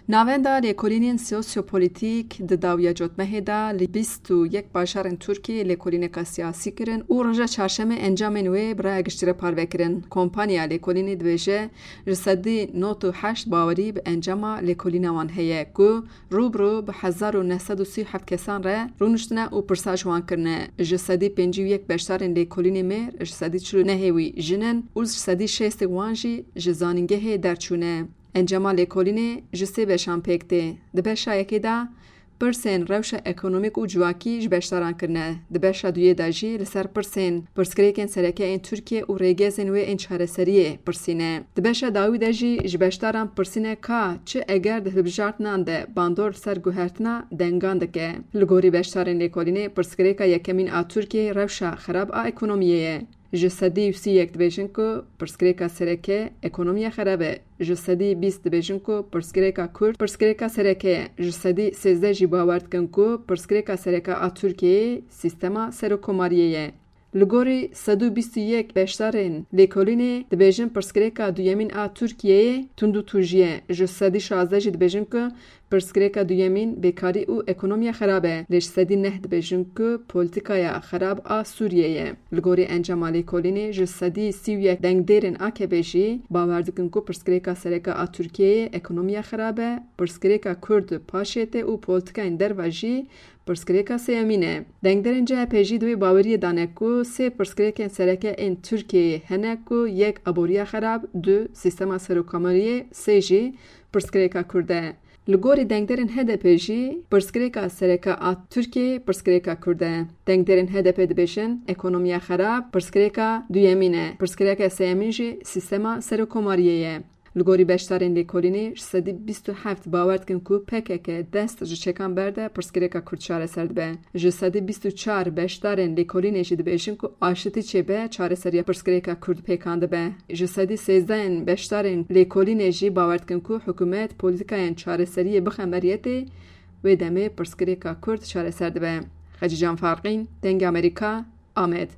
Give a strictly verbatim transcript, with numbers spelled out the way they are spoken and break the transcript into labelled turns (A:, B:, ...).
A: Navenda Lêkolînên Sosyopolitîk di dawiya cotmehê de li bîst û yek bajarên Tirkiyeyê lêkolîneka siyasî kirin û roja çarşemê encamên wê bi raya giştî re parve kirin. Kompanya lêkolînê dibêje ji sedî not û heşt bawerî bi encama lêkolîna wan heye ku rû bi rû bi hezar û neh sed û sî û heft kesan re rûniştine û pirsa ji wan kirine. Ji sedî pêncî û yek beşdarên lêkolînê mêr, ji sedî çil û nehê wî jin in û ji sedî şêstê wan jî ji zanîngehê derçûne. Encama lêkolînê ji sê beşan pêk tê. Di beşa yekê de pirsên rewşa ekonomîk û civakî ji beşdaran kirine. Di beşa duyê de jî li ser pirsên pirsgirêkên sereke ên Tirkiye û rêgezên wê ên çareseriyê pirsîne. Di beşa dawî de jî ji beşdaran pirsîne ka çi eger di hilbijartinan de bandor li ser guhertina dengan dike. Li gorî beşdarên lêkolînê pirsgirêka yekemîn a Tirkiyeyê rewşa xerab a ekonomiyê ye. Ji sedî sî yek dibêjin ku pirsgirêka sereke ekonomiya xerab e. Ji sedî bîst dibêjin ku pirsgirêka Kurd pirsgirêka sereke ye. Ji sedî sêzdeh jî bawer dikin ku pirsgirêka sereke a Tirkiyeyê sîstema serokkomariyê ye. Li gorî sed û bîst û yek beşdarên lêkolînê dibêjin pirsgirêka duyemîn a Tirkiyeyê tundûtûjî ye. Ji sedî şazdeh jî dibêjin ku pirsgirêka duyemîn bêkarî û ekonomiya xerab e. Lê ji sedî neh dibêjin ku polîtîkaya xerab a Sûriyeyê ye. Li gorî encama lêkolînê ji sedî sî û yek dengdêrên A K P jî bawer dikin ku pirsgirêka sereke a Tirkiyeyê ekonomiya xerab e, pirsgirêka Kurd paşê tê û polîtîkayên derve jî pirsgirêka sêyemîn e. Dengderên C H P jî di wê baweriyê de ne ku sê pirsgirêkên sereke ên Tirkiyeyê hene ku yek aboriya xerab, du sîstema serokkomariyê, sê jî pirsgirêka Kurd e. Li gorî dengderên H D P jî pirsgirêka sereke a Tirkiyeyê pirsgirêka Kurd e. Dengderên H D P dibêjin ekonomiya xerab pirsgirêka duyemîn e. Pirsgirêka sêyemîn jî sîstema serokkomariyê ye. Li gorî beşdarên lêkolînê ji sedî bîst û heft bawer dikin ku P K K dest ji çekan berde pirsgirêka Kurd çareser dibe. Ji sedî bîst û çar beşdarên lêkolînê jî dibêjin ku aştî çêbe çareseriya pirsgirêka Kurd pêkan dibe. Ji sedî sêzdehên beşdarên lêkolînê jî bawer dikin ku hikûmet polîtîkayên çareseriyê bixe meriyetê wê demê pirsgirêka Kurd çareser dibe. Xecîcan Farqîn, Dengê Amerîka, Amed.